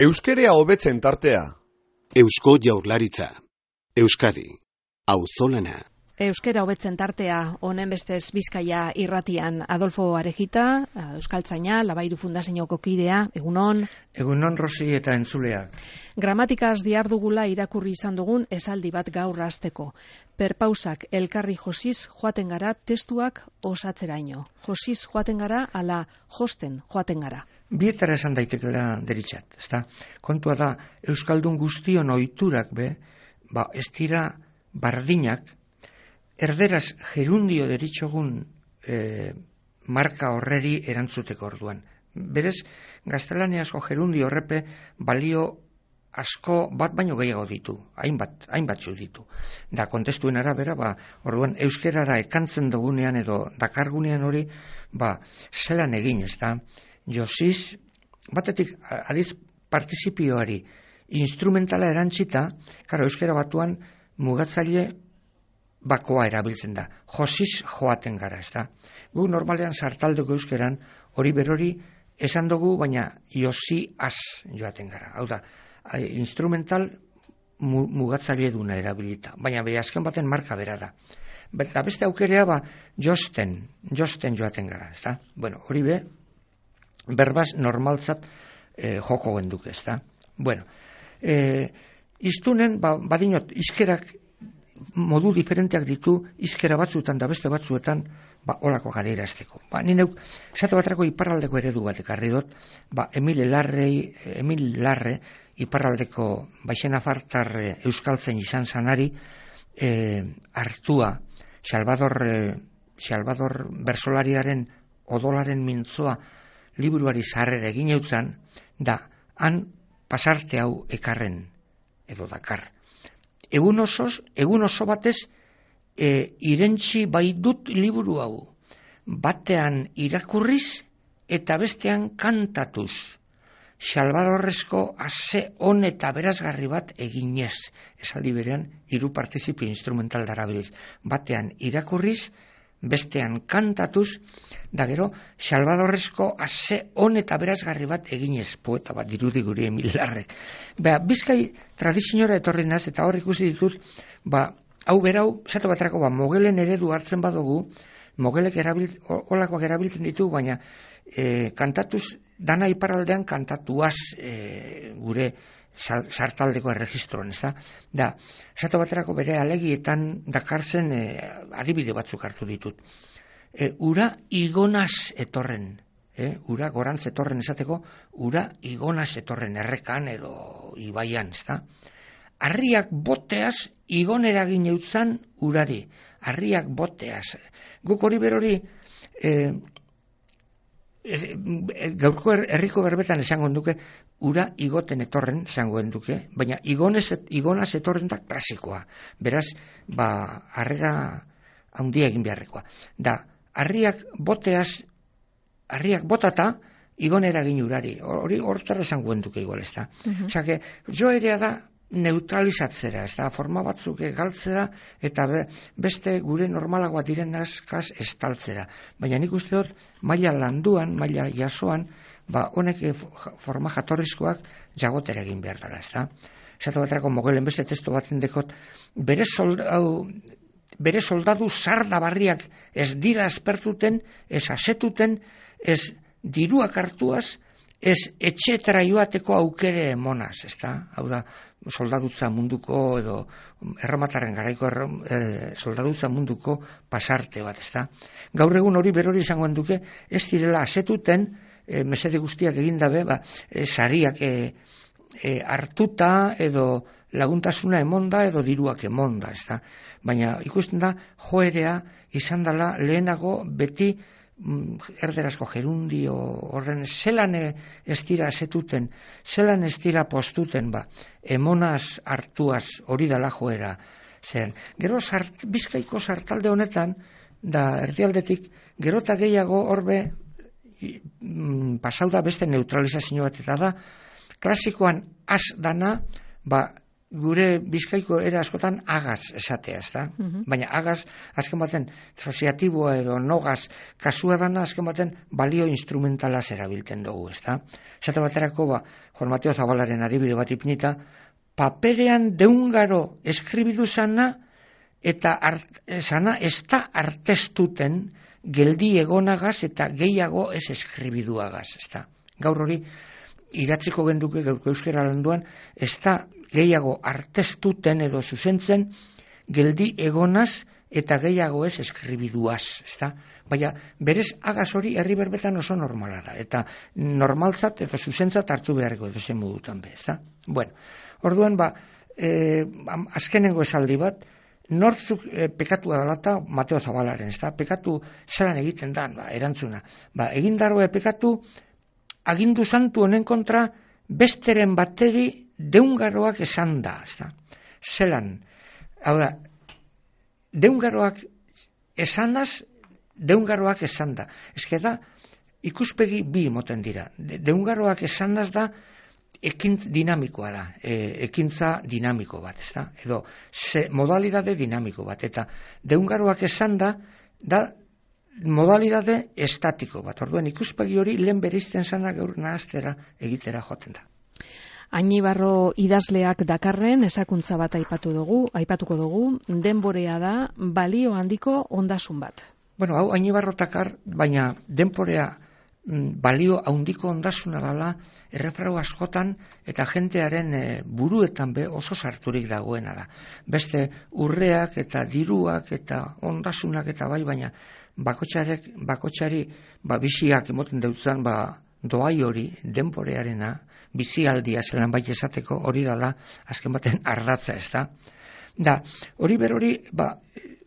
Euskerea hobetzen tartea. Eusko Jaurlaritza. Euskadi. Auzolana. Euskera hobetzen tartea, honen bestez Bizkaia irratian. Adolfo Arejita, euskaltzaina, Labairu Fundazioko kidea, egunon. Egunon, Rosi eta entzuleak. Gramatikaz diardugula irakurri izan dugun esaldi bat gaur hasteko. Perpausak elkarri josiz joaten gara testuak osatzeraino. Josiz joaten gara ala josten joaten gara. Bietara esan daitekela deritxat, ezta? Kontua da, euskaldun guztion ohiturak ez dira bardinak, erderaz gerundio deritxogun marka horreri erantzuteko orduan. Berez, gaztelaniazko gerundio horrepe balio asko bat baino gehiago ditu, hainbatzu ditu. Da, kontestuen arabera, orduan euskerara ekantzen dugunean edo dakargunean hori, zelan egin, ez da? Josiz, batetik adiz partizipioari instrumentala erantzita, karo, euskera batuan mugatzaile bakoa erabiltzen da. Josiz joaten gara, ez da? Gu normalean sartaldeko euskeran hori berori esan dugu, baina josi az joaten gara. Hau da, instrumental mugatzaile duna erabilita, baina azken baten marka bera da. Eta beste aukerea josten joaten gara, ez da? Bueno, hori berbaz normaltzat joko genduk, ez da? Bueno, iztunen, badinot, izkerak modu diferenteak ditu, izkera batzuetan da beste batzuetan, olako gara irazteko. Ni neuk, esate batrako iparraldeko eredu bat ekarri dut, Emil Larre, iparraldeko baixena fartar euskaltzen izan zanari, hartua, Salvador Bersolariaren odolaren mintzoa liburuari zarrera egin eutzan, da, han pasarte hau ekarren, edo dakar. Egun oso batez, irentzi bai dut liburu hau, batean irakurriz eta bestean kantatuz. Salvadorrezko ase on eta berazgarri bat eginez, esaldi berean, hiru partizipio instrumental darabiliz. Batean irakurriz, bestean kantatuz, da gero, Salvadorrezko ase on eta berazgarri bat eginez, poeta bat dirudi guri Emil Larrek. Bizkai tradiziora etorri naz, eta hor ikusi ditut, hau berau, zato batrako, mogelen eredu hartzen badugu, mogelek olakoak erabiltzen ditu, baina kantatuz, dana iparraldean kantatuaz gure sartaldeko erregistroan, ez da? Da, zato baterako bere alegietan dakarzen adibide batzuk hartu ditut. Ura igonaz etorren, ura gorantz etorren esateko, ura igonaz etorren errekan edo ibaian, ez da? Harriak boteaz igonera gineutzan urari, harriak boteaz. Guk hori berori, gaurko herriko berbetan esango duke, ura igoten etorren esango duke, baina igonaz etorren da klasikoa. Beraz, harrera handia egin beharrekoa. Da, harriak botata, igonera egin urari. Hori hortara esango duke igual, ez da. Osea, joerea da neutralizatzera, ez da, forma batzuk galtzera, eta beste gure normalagoa diren askaz estaltzera. Baina nik uste dut, maila landuan, maila jasoan, honek forma jatorrizkoak jagotera egin behar dara, ez da. Esatu baterako mogelen beste testo baten dekot, bere soldadu sardabarriak ez dira aspertuten, ez asetuten, ez diruak hartuaz, ez etxetara joateko aukere emonaz, ez da? Hau da, soldadutza munduko edo erromataren garaiko soldadutza munduko pasarte bat, ez da? Gaur egun hori berori izango duke, ez direla asetuten, mesede guztiak egin dabe, sariak hartuta edo laguntasuna emonda edo diruak emonda, ez da? Baina ikusten da, joerea izan dela lehenago beti erderazko gerundio horren zelan ez dira asetuten, zelan ez dira postuten, emonaz hartuaz hori dela joera. Gero Bizkaiko sartalde honetan, da erdialdetik, gero eta gehiago horbe pasau da beste neutralizazio bat, eta da, klasikoan az dana, gure Bizkaiko era askotan agaz esatea, ezta? Baina agaz, azken baten, soziatiboa edo nogaz kasua dana, azken baten, balio instrumentalaz erabiltzen dugu, ezta? Esate baterako, Juan Mateo Zabalaren adibide bat ipinita, paperean deungaro eskribidu zana, eta sana ez da artestuten geldi egonagaz eta gehiago ez eskribiduagaz, ezta? Gaur hori, iratziko genduke gaurko euskera landuan, ez da gehiago artestuten edo zuzentzen geldi egonaz eta gehiago ez eskribiduaz, ezta? Baina berez agaz hori herri berbetan oso normala da, eta normaltzat eta zuzentzat hartu beharreko edo zen modutan be, ezta? Bueno, orduan azkenengo esaldi bat, nortzuk pekatua dalata Mateo Zabalaren, ezta? Pekatu zelan egiten da, erantzuna. Egindaroa pekatu agindu santu honen kontra besteren bateri deungaroak esan da, ezta? Zelan, hau da, deungaroak esanaz, deungaroak esan da. Ezke da, ikuspegi bi moten dira. Deungaroak esanaz da, dinamikoa da, ekintza dinamiko bat, ezta? Edo, modalidade dinamiko bat, eta deungaroak esan da, modalidade estatiko bat. Orduan ikuspegi hori lehen bereizten zana gaur nahaztera egitera joten da. Añibarro idazleak dakarren esakuntza bat aipatuko dugu, denborea da balio handiko ondasun bat. Bueno, hau Añibarro takar, baina denborea balio handiko ondasuna dela errefrau askotan eta jentearen buruetan be oso sarturik dagoena da. Beste urreak eta diruak eta ondasunak eta baina bakotxari biziak emoten deutzan doai hori denborearena bizialdia zelan bai esateko hori dela azken baten ardatza, ez da? Da, hori berori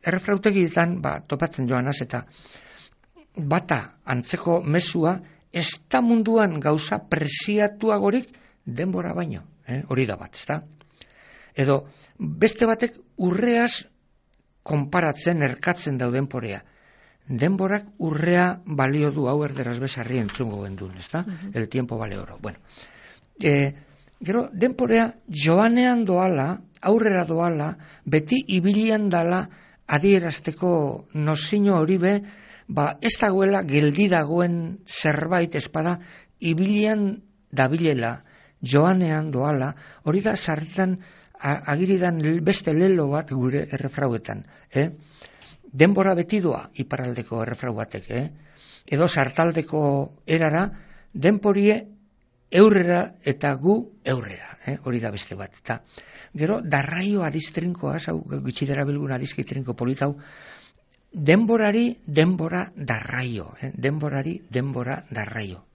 errefrautegietan topatzen joanaz eta bata antzeko mezua ez da munduan gauza presiatuagorik denbora baino, hori da bat, ez da? Edo beste batek urreaz konparatzen erkatzen dauden porea. Denborak urrea balio du, hau erderaz bezarri entzungo gendun, ez da? El tiempo vale oro. Bueno, gero, denporea joanean doala, aurrera doala, beti ibilian dala adierazteko nozino hori be, ez dagoela geldi dagoen zerbait espada, ibilian dabilela, joanean doala, hori da sarritan agiridan beste lelo bat gure errefrauetan, denbora beti doa iparraldeko errefrau batek, edo sartaldeko erara, denporie eurrera eta gu eurrera, hori da beste bat. Eta gero, darraio adiztrinkoa, hau gitxidera bilgun adizkitrinko politau, denborari denbora darraio, denborari denbora darraio.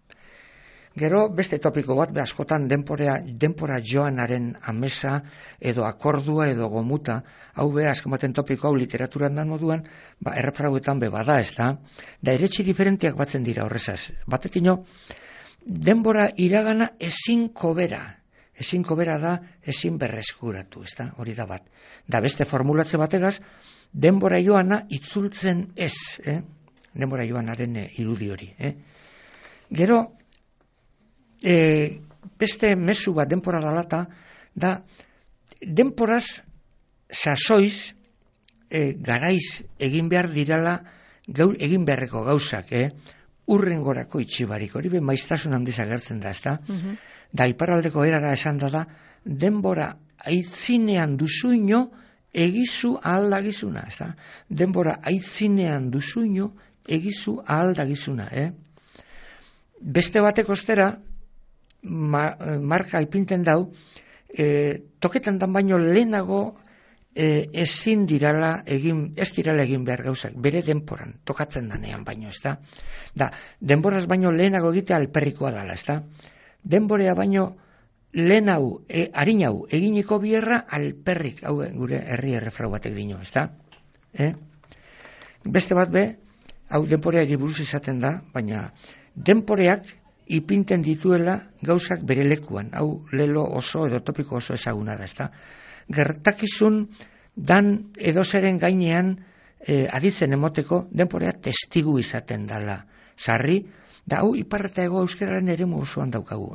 Gero, beste topiko bat, askotan denbora joanaren amesa, edo akordua, edo gomuta, hau azken baten topiko hau literaturan dan moduan, errefrauetan bada, ez da? Da, eretxi diferentiak batzen dira horrezaz. Batetino, denbora iragana ezin kobera da, ezin berreskuratu, ez da? Hori da bat. Da, beste formulatze bategaz, denbora joana itzultzen ez, denbora joanaren irudi hori. Gero, beste mezu bat denbora dalata, da, denboraz sasoiz, garaiz egin behar dirala, egin beharreko gauzak, urrengorako itxibarik, hori be maiztasun handiz agertzen da, ezta? Da, iparraldeko erara esan da, denbora aitzinean duzuino egizu ahaldagizuna, ezta? Denbora aitzinean duzuino egizu ahaldagizuna, Beste batek ostera, marka ipinten dau, toketan dan baino lehenago ezin dirala ez dirala egin behar gauzak, bere denporan, tokatzen danean baino, ez da? Da, denboraz baino lehenago egitea alperrikoa dala, ez da? Denborea baino lehenau, harinau, eginiko bierra alperrik, hau gure herri errefrau batek dino, ez da? Beste bat be, hau denporea buruz izaten da, baina denporeak ipinten dituela gauzak bere lekuan, hau lelo oso edo topiko oso ezaguna da, ez da? Gertakizun dan edozeren gainean aditzen emoteko denporea testigu izaten dala sarri, da hau ipar eta hego euskararen eremu osoan daukagu,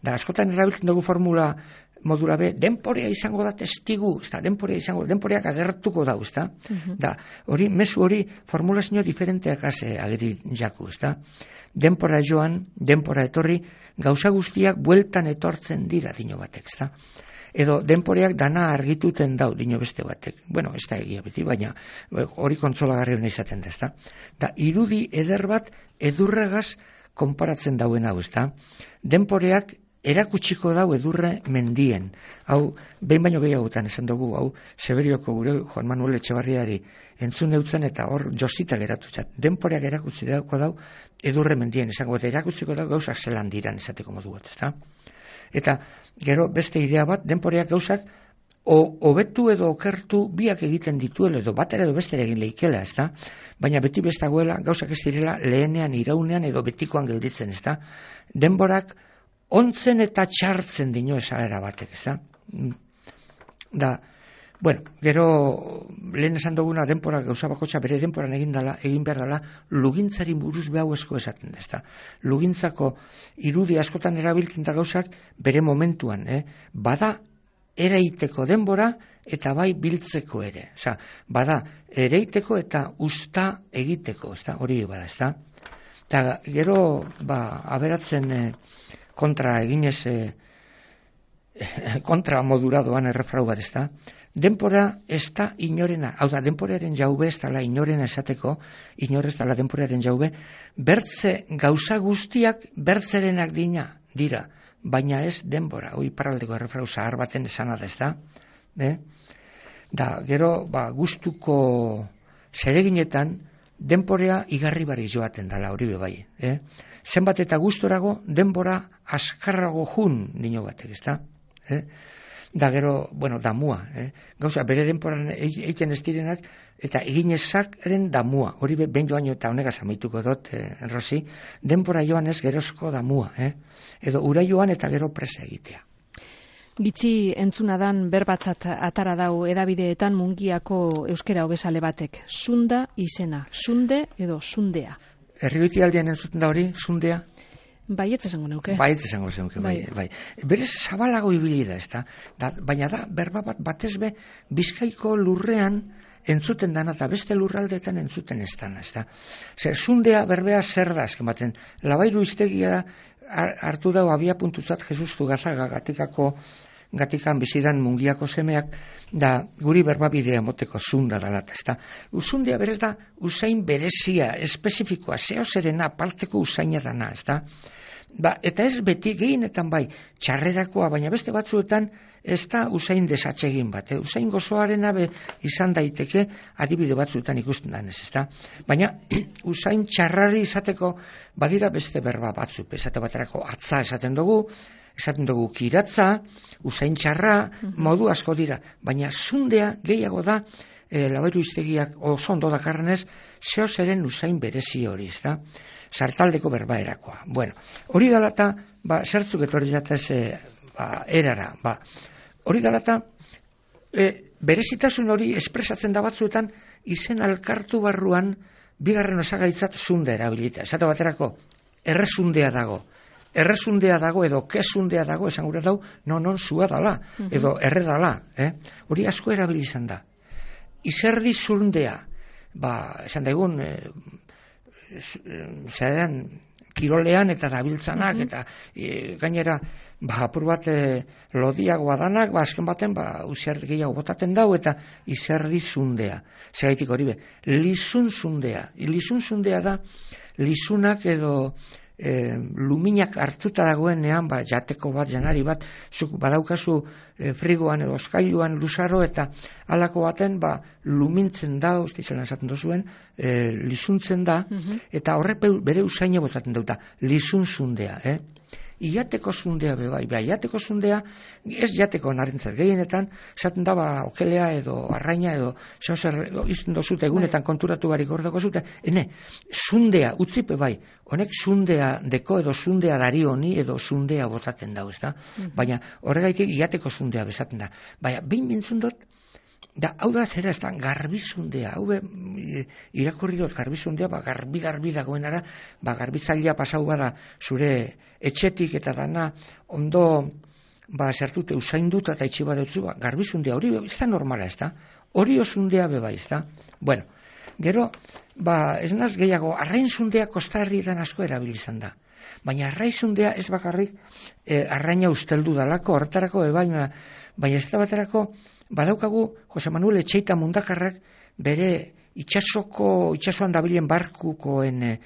Da askotan erabiltzen dugu formula modura be, denporea izango da testigu, denporeak agertuko dau, Da, hori, mezu hori formulazio diferenteak ageri jaku, Denpora joan, denpora etorri, gauza guztiak bueltan etortzen dira dino batek, Edo denporeak dana argituten dau dino beste batek. Bueno, ez da egia beti, baina hori kontsolagarri hona izaten da, Da, irudi eder bat edurregaz konparatzen dauen hau, Denporeak erakutsiko dau edurre mendien. Hau, behin baino gehiagotan esan dugu, hau, Seberioko gure Juan Manuel Etxebarriari entzun neutzen eta hor josita geratu zat. Denporeak erakutsi dauko dau edurre mendien, esango, eta erakutsiko dau gauzak zelan diran esateko modu bat, Eta gero beste idea bat, denporeak gauzak hobetu edo okertu biak egiten dituela edo batera edo bestera egin leikela, Baina beti bestagoela gauzak ez direla lehenean, iraunean edo betikoan gelditzen, Denborak ontzen eta txartzen dino esalera batek, Da, bueno, gero lehen esan duguna denpora gauza bakotxa bere denporan egin behar dela lugintzari buruz behau esko esaten da, Lugintzako irudi askotan erabiltzen da gauzak bere momentuan, Bada ereiteko denbora eta bai biltzeko ere, bada ereiteko eta usta egiteko, hori bada, Eta gero, aberatzen kontra eginez kontra modura doan errefrau bat, Denpora ez da inorena, hau da, denporaren jaube ez dala inorena esateko, inor ez dala denporaren jaube, bertze gauza guztiak bertzerenak dira, baina ez denbora, hoi paraldeko errefrau zahar baten esana da, Da, gero, gustuko zereginetan, denporea igarri bari joaten dala, hori bai, Zenbat eta gustorago, denbora askarrago jun dino batek, Da gero, damua, Gauza, bere denporan egiten ez direnak, eta eginezakren damua, hori behin joan eta honegaz amaituko dut, Rosi, denpora joan ez gerozko damua, Edo ura joan eta gero presa egitea. Bitxi entzunadan berbatzat atara dau edabideetan Mungiako euskera hobesale batek. Sunda izena, sunde edo sundea. Herrigoiti aldean entzuten da hori, sundea? Baietz esango neuke. Baietz esango neuke, bai. Berez zabalago ibili da, baina da, berba batez be, Bizkaiko lurrean entzuten dana eta beste lurraldeetan entzuten ez dana, Sundea berbea zer da, azken baten, Labairu iztegia hartu dau abia puntutzat Jesustu Gazaga gatikan bizidan Mungiako semeak, da guri berbabidea moteko sunda dalat, Usundea berez da usain berezia, espezifikoa, zerena, parteko usaina dana, eta ez beti gehienetan bai, txarrerakoa, baina beste batzuetan ez da usain desatsegin bat, usain gozoaren abe izan daiteke adibide batzuetan ikusten danez, baina usain txarrari izateko badira beste berba batzuk, esate baterako atza esaten dugu kiratza, usain txarra, modu asko dira, baina sundea gehiago da, Labairu iztegiak oso ondo dakarrenez, zehozeren usain berezi hori, sartaldeko berbaerakoa. Bueno, hori dalata, zertzuk etorri jatez erara, hori dalata, berezitasun hori espresatzen da batzuetan, izen alkartu barruan, bigarren osagaitzat sunde erabilita. Esate baterako, erresundea dago edo kesundea dago, esan gure dau, non zua dala, edo erre dala, hori asko erabilizan da. Izerdi zundea, esan daigun, kirolean eta dabiltzanak, eta gainera, apur bat lodiagoa danak, azken baten, usiar gehiago botaten dau, eta izerdi zundea. Zegaitik hori be, lizun zundea. Lizun zundea da, lizunak edo luminak hartuta dagoenean, jateko bat, janari bat, zuk badaukazu frigoan edo oskailuan luzaro, eta halako baten lumintzen da, ustizela esaten dozuen, lizuntzen da, eta horrek bere usaine botaten dauta, lizun zundea, Iateko zundea bebai, iateko zundea, ez jateko narentzat gehienetan, esaten da okelea edo arraina edo izten dozute egunetan konturatu barik ordoko zute, zundea, utzipe bai, honek zundea deko edo zundea dari honi edo zundea botaten dau, baina horregaitik iateko zundea bezaten da. Baina, behin bintzun dut, Da, hau da zera, ez da, garbizundea, hau irakurri dut garbizundea, garbi dagoenara, garbitzailea pasau bada zure etxetik eta dana ondo sartute usainduta eta itxi badutzu, garbizundea hori ez da normala, ez da, hori osundea beba, ez da. Bueno, gero, ez naz gehiago, arrainzundea kostarrietan asko erabilizan da. Baina arrainzundea ez bakarrik arraina usteldu dalako, horretarako baina ez da baterako, badaukagu Jose Manuel Etxeita Mundakarrak bere itxasoan dabilen barkukoen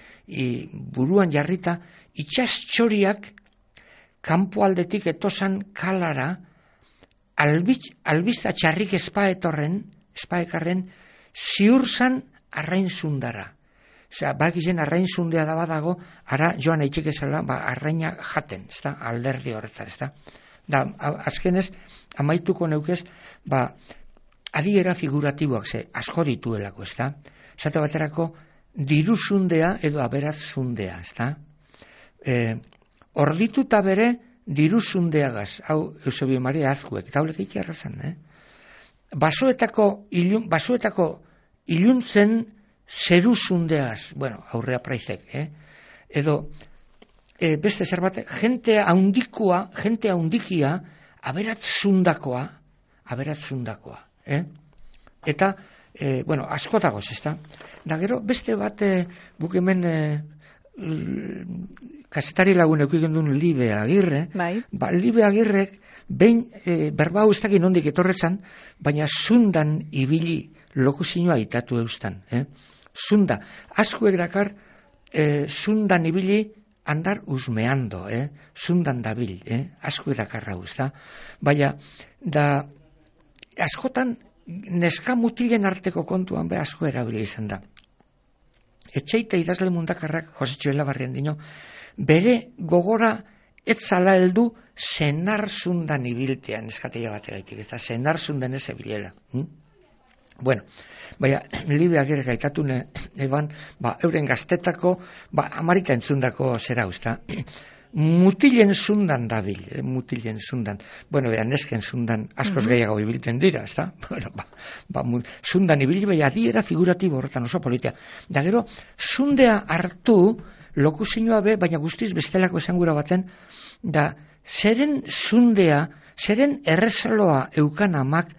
buruan jarrita, itxastxoriak kanpo aldetik etosan kalara albizta txarrik espaekarren ziurzan arrainzundara. Osea, bakizen arrainzundea da badago, ara joan eitxik ezala, arraina jaten, ez da, alderdi horretza, ez da. Da, azkenez, amaituko neukez, adiera figuratiboak asko dituelako, ez da. Zate baterako, diruzundea edo aberatzundea, ez da. Ordituta bere diruzundeagaz, hau Eusebio Maria Azkuek, eta haulek eikia errazan, basoetako iluntzen zeruzundeaz, bueno, aurrea praizek, edo beste zer bat, jente haundikia aberatzundakoa, eta, bueno, asko dagoz, ez da? Da gero, beste bat, guk hemen kasetari lagun eukigen duen Libe Agirre, Libe Agirrek, behin berba hau ez dakit nondik etorrezan, baina zundan ibili lokuzioa itatu eustan, zunda, askuek dakar, zundan ibili andar usmeando, zundan dabil, askuek dakarra da. Baina, da, askotan, neska mutilen arteko kontuan asko erabili izan da. Etxeite idazle Mundakarrak, Josetxo Elabarrien dino, bere gogora etzala heldu senar zundan ibiltean, eskateia bategaitik, ez da, senar zundan ez ebilela. Bueno, baina, Libe Agirre gaitatune, eban, euren gaztetako, amarika entzundako zera usta. Mutilen zundan dabil, mutilen zundan. Bueno, nesken zundan askoz gehiago ibilten dira, ez da? Bueno, zundan ibili, baina adiera figuratibo horretan oso politia. Da gero, zundea hartu, lokuzioa baina guztiz bestelako esangura baten, da, zeren zundea, zeren errezaloa eukan amak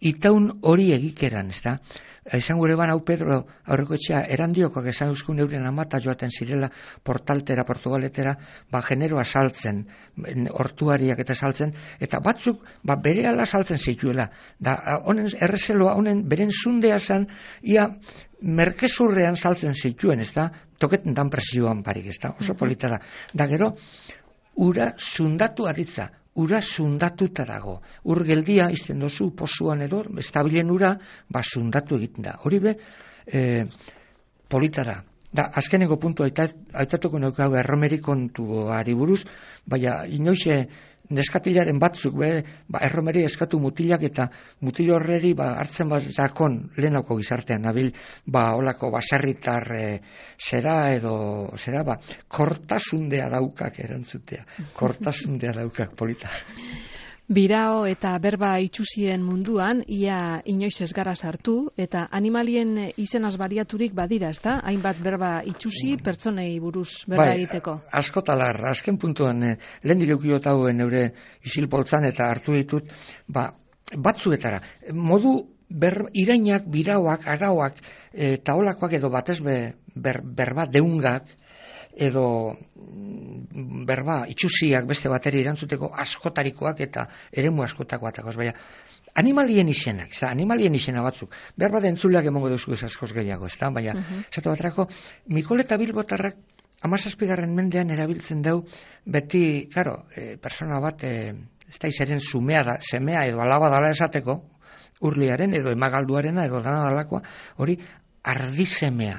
itaun hori egikeran, ez da? Esan gure ban hau Pedro aurreko etxea erandiokoak esan euskun euren amata joaten zirela Portaltera, Portugaletera, generoa saltzen, hortuariak eta saltzen, eta batzuk bere ala saltzen zituela. Da, honen errezeloa, honen beren zundea zen, ia merkezurrean saltzen zituen, ez da? Toketan dan presioan parik, ez da? Oso polita da. Da gero, ura zundatu aditza. Ura zundatuta dago. Ur geldia izten dozu pozuan edo, estabilen ura, zundatu egiten da. Hori polita da. Da, azkeneko puntu aitatuko neukau erromeri kontuari buruz, baina inoize neskatilaren batzuk, erromeri eskatu mutilak eta mutil horreri hartzen zakon lehenauko gizartean, nabil, olako basarritar zera edo, kortasundea daukak erantzutea. Kortasundea daukak, polita. Birao eta berba itxusien munduan, ia inoiz ez gara sartu, eta animalien izenaz bariaturik badira, ez da? Hainbat berba itxusi pertsonei buruz berba egiteko. Askotalar, azken puntuan, lehendik eukiot hauen eure isilpoltzan eta hartu ditut, batzuetara. Modu irainak, birauak, arauak, eta olakoak edo batez berba deungak, edo berba itxusiak beste bateri erantzuteko askotarikoak eta eremu askotakoak. Baina, animalien izenak, animalien izena batzuk, berba da entzuleak emongo deuzu ez askoz gehiago, ez da? Baina, esatu baterako, Mikol eta Bilbotarrak 17. mendean erabiltzen dau, beti, karo, persona bat, ez da izaren semea edo alaba dala esateko, urliaren edo emagalduarena edo dana dalakoa, hori ardisemea,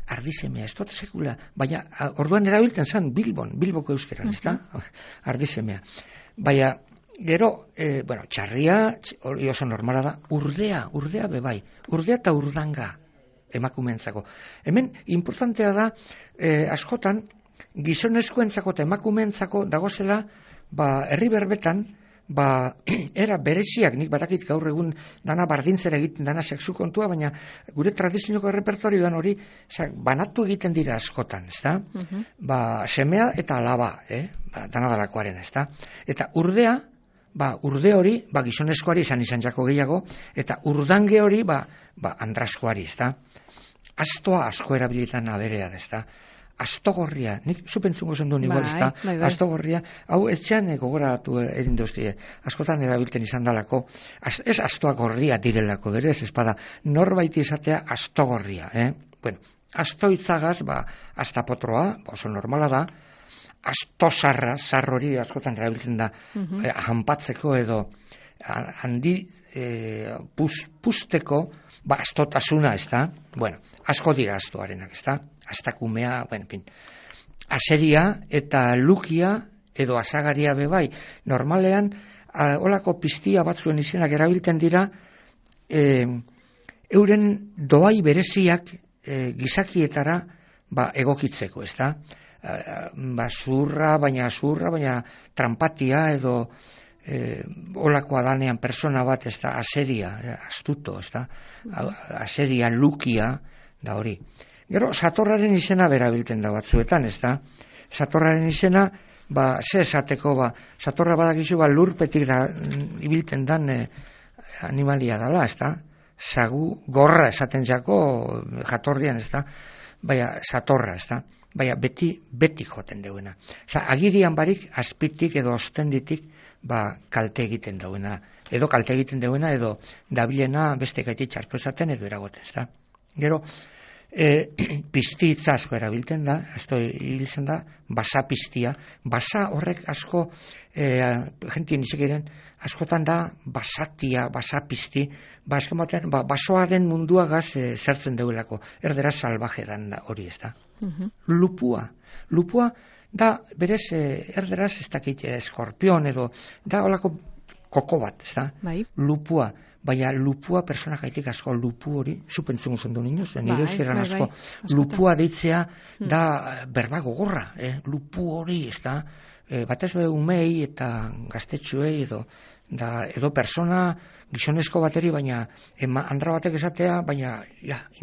ez dut sekula, baina orduan erabiltzen zen Bilboko euskeran, ez da? Ardisemea. Baina, gero, txarria, hori oso normala da, urdea bebai, urdea eta urdanga emakumeentzako. Hemen, importantea da, askotan, gizonezkoentzako eta emakumeentzako dagozela, herri berbetan, era bereziak, nik badakit gaur egun dana bardintzera egiten, dana sexu kontua, baina gure tradizionioko errepertorioan hori banatu egiten dira askotan, ezta? Semea eta alaba, dana dalakoaren, ezta? Eta urdea, urde hori, gizonezkoari izan jako gehiago, eta urdange hori, andraskoari, ezta? Astoa asko erabilitan aberea, ezta? Astogorria, nik zupentzungo zen duen igual, ezta? Astogorria, hau etxean gogoratu egin duztie, askotan erabilten izan dalako, ez astoa gorria direlako, berez, espada, norbait izatea astogorria, Bueno, astoitzagaz, astapotroa, oso normala da, astosarra, sarrori askotan erabiltzen da, hanpatzeko edo handi pusteko, astotasuna, ezta? Bueno, asko dira astoarenak, ezta? Astakumea, aseria eta lukia edo asagaria bebai. Normalean, holako piztia batzuen izenak erabiltzen dira, euren doai bereziak gizakietara egokitzeko, ezta? Zurra, baina trampatia edo olakoa danean persona bat, ezta? Aseria, astuto, ezta? Aseria, lukia, da hori. Gero, satorraren izena berabilten da batzuetan, ezta? Satorraren izena, ze esateko, satorra badakizu, lurpetik ibilten dan animalia dala, ezta? Sagu, gorra esaten jako jatorrian, ezta? Baina, satorra, ezta? Baina, beti joten duena. Agirian barik, azpitik edo ostenditik, kalte egiten duena. Edo kalte egiten duena, edo dabilena beste gaitik txartu esaten, edo eragoten, ezta? Gero, piztitza asko erabilten da, ibiltzen da, basa piztia, basa horrek asko, jentien izekiren, askotan da, basatia, basa pizti, basoaren munduagaz zertzen deuelako, erderaz salvaje dan da hori, ez da. Lupua da, berez, erderaz ez dakit eskorpion edo, da holako koko bat, ez da. Lupua. Baina lupua persona gaitik asko lupu hori, zupentzungu zendu niñoz, nire euskeran asko, lupua deitzea da berba gogorra, lupu hori, ez da, batez be umei eta gaztetxuei edo persona gizonezko bateri, baina andra batek esatea, baina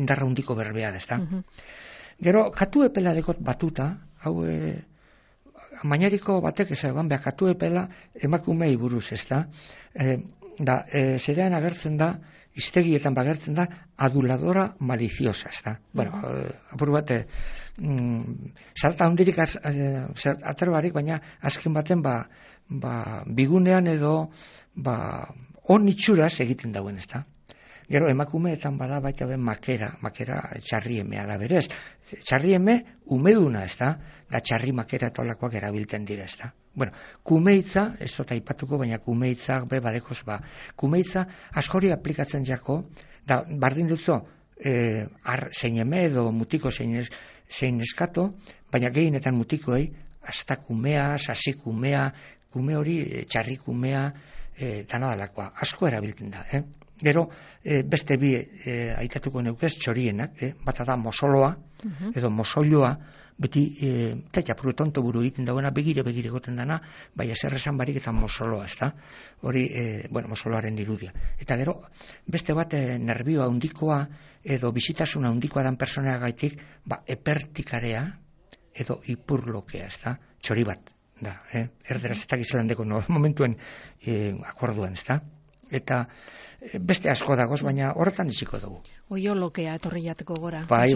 indarra hundiko berbea, ez da. Gero, katu epela dekot batuta, hau mainariko batek esan, katu epela emakumei buruz, ez da, zerean agertzen da, iztegietan bagertzen da, aduladora maliciosa, ez da. Bueno, apur bat, zarta hundirik aterbarik, baina azken baten, bigunean edo, on itxuraz egiten dauen, ez da. Gero, emakumeetan bada baita ben makera txarriemea da berez. Txarrieme umeduna, ez da, da txarri makera eta olakoak erabilten dira, ez da. Bueno, kumeitza, ez dut aipatuko, baina kumeitza, badekoz, kumeitza askori aplikatzen jako, da, bardin dutzo, zein eme edo mutiko zein eskato, baina gehienetan mutikoei, hasta kumea, sasikumea, kume hori, txarrikumea, danadalakoa, asko erabiltzen da, Gero, beste bi aitatuko neukez, txorienak, bata da mosoloa, edo mosoioa, beti, tapuru tonto buru egiten dagoena, begire goten dana, bai ezer esan barik eta mosoloa, ez da? Hori, mosoloaren irudia. Eta gero, beste bat, nervioa handikoa, edo bizitasuna handikoa dan personea gaitik, epertikarea, edo ipurlokea, ez da? Txori bat, da, erderaz ez dakizelandeko momentuen akorduan, ez da? Eta beste asko dagoz, baina horretan iziko dugu. Oiolokea etorri jateko gora. Bai.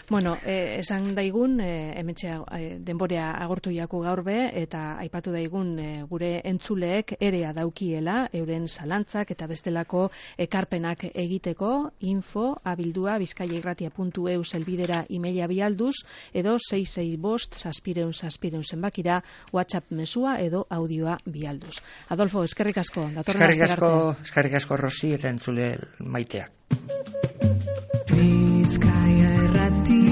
Bueno, esan daigun, hementxea denborea agortu jako gaur be, eta aipatu daigun gure entzuleek erea daukiela, euren zalantzak eta bestelako ekarpenak egiteko, info@bizkaiairratia.eu zelbidera emaila bialduz, edo 665 zenbakira WhatsApp mesua edo audioa bialduz. Adolfo, eskerrik asko. Eskerrik asko Rosi eta entzule maiteak. Bizkaia Irratia